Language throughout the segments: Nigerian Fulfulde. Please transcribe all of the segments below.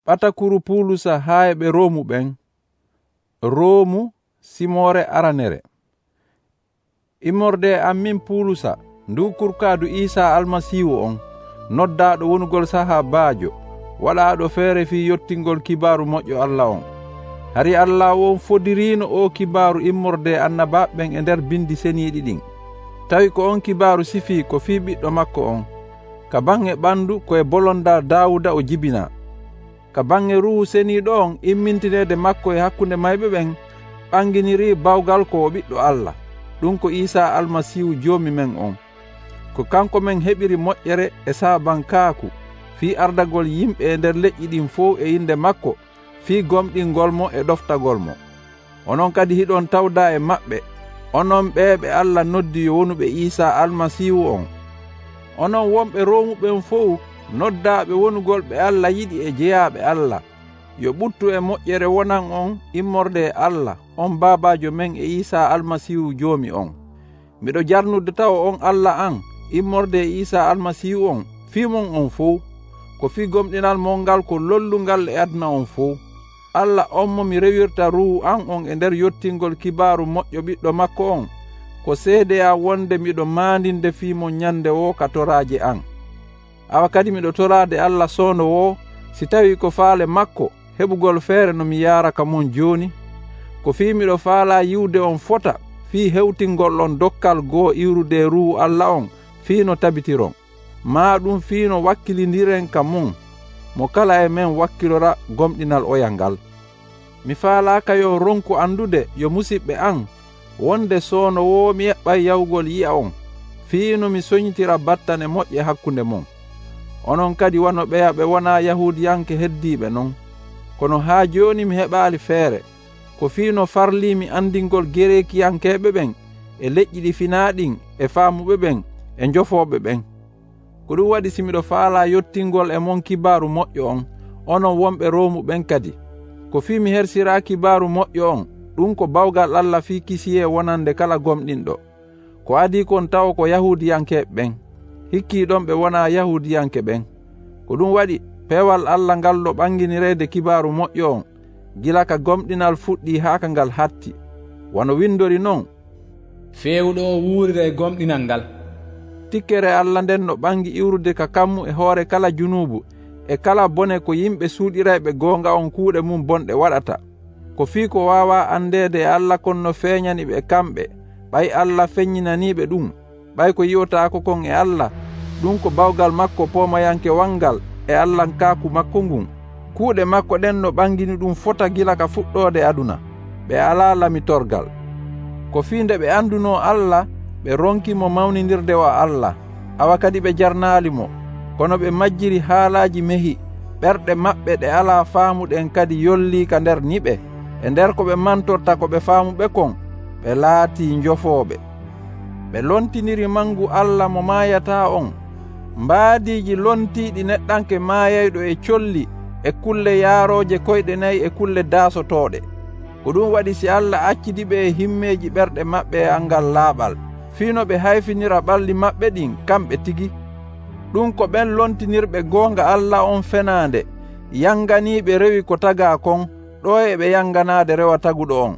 Ɓatakuru Pulusa haa ɓe Roomu ɓen. Roomu Simore aranere. Immorde am min Pulusa, ndu kurkaadu Iisaa Almasiihu on, noddaaɗo wonugol sahaabaajo, waɗaaɗo feere fii yottingol kibaaru moƴƴo Allah on. Hari Allah won fodiriino o kibaaru immorde annabaaɓe ɓen e nder bindi seniiɗi ɗin. Tawi ko on kibaaru sifii ko fii ɓiɗɗo makko on, ka bange ɓandu koye bolondaa Daawuda o jibinaa. Ka bange Ruuhu Seniiɗo on immintineede makko e hakkunde mayɓe ɓen ɓanginirii bawgal ko o ɓiɗɗo Allah, ɗum ko Iisaa Almasiihu Joomi men on. Ko kanko men heɓiri moƴƴere e saabankaaku fii ardagol yimɓe e nder leƴƴi ɗin fof e inde makko fii gomɗingolmo e ɗoftagolmo. Onon kadi hiɗon tawdaa e maɓɓe, onon ɓeeɓe Allah noddi yo wonuɓe Iisaa Almasiihu on. Onon wonɓe Roomu ɓen fof noddaaɓe wonugol ɓe Allah yiɗi e jeyaaɓe Allah, yo ɓuttu e moƴƴere wonan on immorde e Allah, on Baabaajo men e Iisaa Almasiihu Joomi on. Miɗo jarnude tawa on Allah an immorde e Iisaa Almasiihu on fiimon on fof, ko fii gomɗinal mon ngal ko lollungal e aduna on fof. Allah on mo mi rewirta Ruuhu an on e nder yottingol kibaaru moƴƴo ɓiɗɗo makko on, ko seedeya wonde miɗo maandinde fiimon nyande wo ka toraaje an. Awa kadi miɗo toraade Allah soono wo, si tawi ko faale makko heɓugol feere no mi yaaraka mon jooni. Ko fii miɗo faala yiwde on fota fii hewtingol on dokkal goo iwrude Ruuhu Allah on fii no tabitiron, maa ɗum fii no wakkilindiren ka mon, mo kala e men wakkilora gomɗinal oyal ngal. Mi faalaaka yo ronku andude yo musidɓe an wonde soono wo mi eɓɓay yawgol yi'a on, fii no mi soñitira battane moƴƴe hakkunde mon. Onon kadi wano ɓeya ɓe wonaa Yahuudiyanke heddiiɓe non, kono haa jooni mi heɓaali feere, ko fii no farliimi andingol Gerekiyankeeɓe ɓen e leƴƴi ɗi finaaɗin e faamuɓe ɓen e njofooɓe ɓen. Ko ɗum waɗi si miɗo faalaa yottingol e mon kibaaru moƴƴo on, onon wonɓe Roomu ɓen kadi, ko fii mi hersiraa kibaaru moƴƴo on, ɗum ko bawgal Allah fii kisiyee wonande kala gomɗinɗo. Ko adii kon taw ko Yahuudiyankeeɓe ɓen, hikkiiɗon ɓe wonaa Yahuudiyanke ɓen. Ko ɗum waɗi peewal Allah ngal ɗo ɓanginireede kibaaru moƴƴo on, gila ka gomɗinal fuɗɗii haa ka ngal hatti. Wano windori non, feewɗo o wuurira e gomɗinal ngal. Tikkere Allah nden no ɓangi iwrude ka kammu e hoore kala junuubu e kala bone ko yimɓe suuɗirayɓe goonga on kuuɗe mum bonɗe waɗata. Ko fii ko waawaa andeede e Allah kon no feeñani ɓe kamɓe, ɓay Allah feññinaniiɓe ɗum, ɓay ko yi'otaako kon e Allah, ɗum ko bawgal makko poomayanke wangal e Allahnkaku makko ngun. Kuuɗe makko ɗen no ɓangini ɗum fota gila ka fuɗɗoode aduna, ɓe alaa lamitorgal. Ko fii nde ɓe andunoo Allah, ɓe ronkimo mawnindirde o Allah, awa kadi ɓe jarnaalimo, kono ɓe majjiri haalaaji mehi, ɓerɗe maɓɓe ɗe alaa faamuɗen kadi yollii ka nder niɓe, e nder ko ɓe mantorta ko ɓe faamuɓe kon, ɓe laatii njofooɓe. Ɓe lontiniri mangu Allah mo maayataa on, mbaadiiji lontiiɗi neɗɗanke maayayɗo e colli e kulle yaarooje koyɗe nayi e kulle daasotooɗe. Ko ɗum waɗi si Allah accidiɓe e himmeeji ɓerɗe maɓɓe e angal laaɓal, fiino ɓe hayfinira ɓalli maɓɓe ɗin kamɓe tigi. Ɗum ko ɓen lontinirɓe goonga Allah on fenaande, yanganiiɓe rewi ko tagaa kon, ɗo e ɓe yanganaade rewa taguɗo on.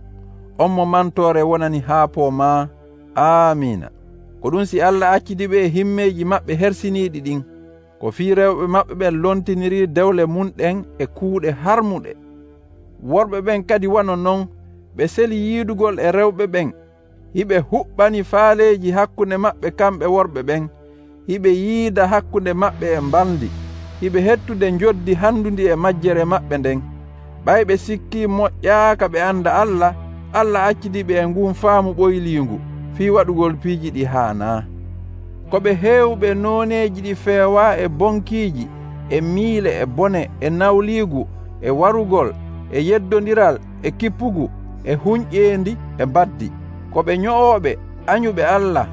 On mo mantoore wonani haa poomaa. Amiina. Ko ɗum si Allah accidiɓe e himmeeji maɓɓe hersiniiɗi ɗin, ko fii rewɓe maɓɓe ɓen lontiniri dewle munɗen e kuuɗe harmuɗe. Worɓe ɓen kadi wano non, ɓe seli yiidugol e rewɓe ɓen, hiɓe huɓɓani faaleeji hakkunde maɓɓe kamɓe worɓe ɓen, hiɓe yiida hakkunde maɓɓe e mbaldi, hiɓe hettude njoddi handundi e majjere maɓɓe nden. Ɓay ɓe sikkii moƴƴaaka ɓe anda Allah, Allah accidiɓe e ngun faamu ɓoyliingu fii waɗugol piiji ɗi haanaa. Ko ɓe heewɓe nooneeji ɗi feewaa e bonkiiji, e miile e bone, e nawliigu, e warugol, e yeddondiral, e kippugu, e huñƴeendi, e baddi. Ko ɓe nyo'ooɓe, anyuɓe Allah,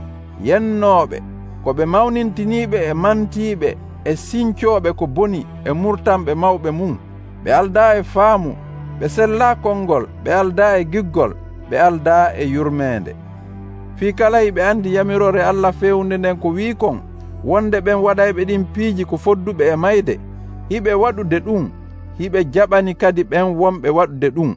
yennooɓe, ko ɓe mawnintiniiɓe e mantiiɓe, e sincooɓe ko boni e murtanɓe mawɓe mum. Ɓe aldaa e faamu, ɓe sellaa konngol, ɓe aldaa e giggol, ɓe aldaa e yurmeende. Fii kala hiɓe andi yamirore Allah fewnde nden ko wii kon, wonde ɓen waɗayɓe ɗin piiji ko fodduɓe e mayde, hiɓe waɗude ɗum, hiɓe jaɓani kadi ɓen wonɓe waɗude ɗum.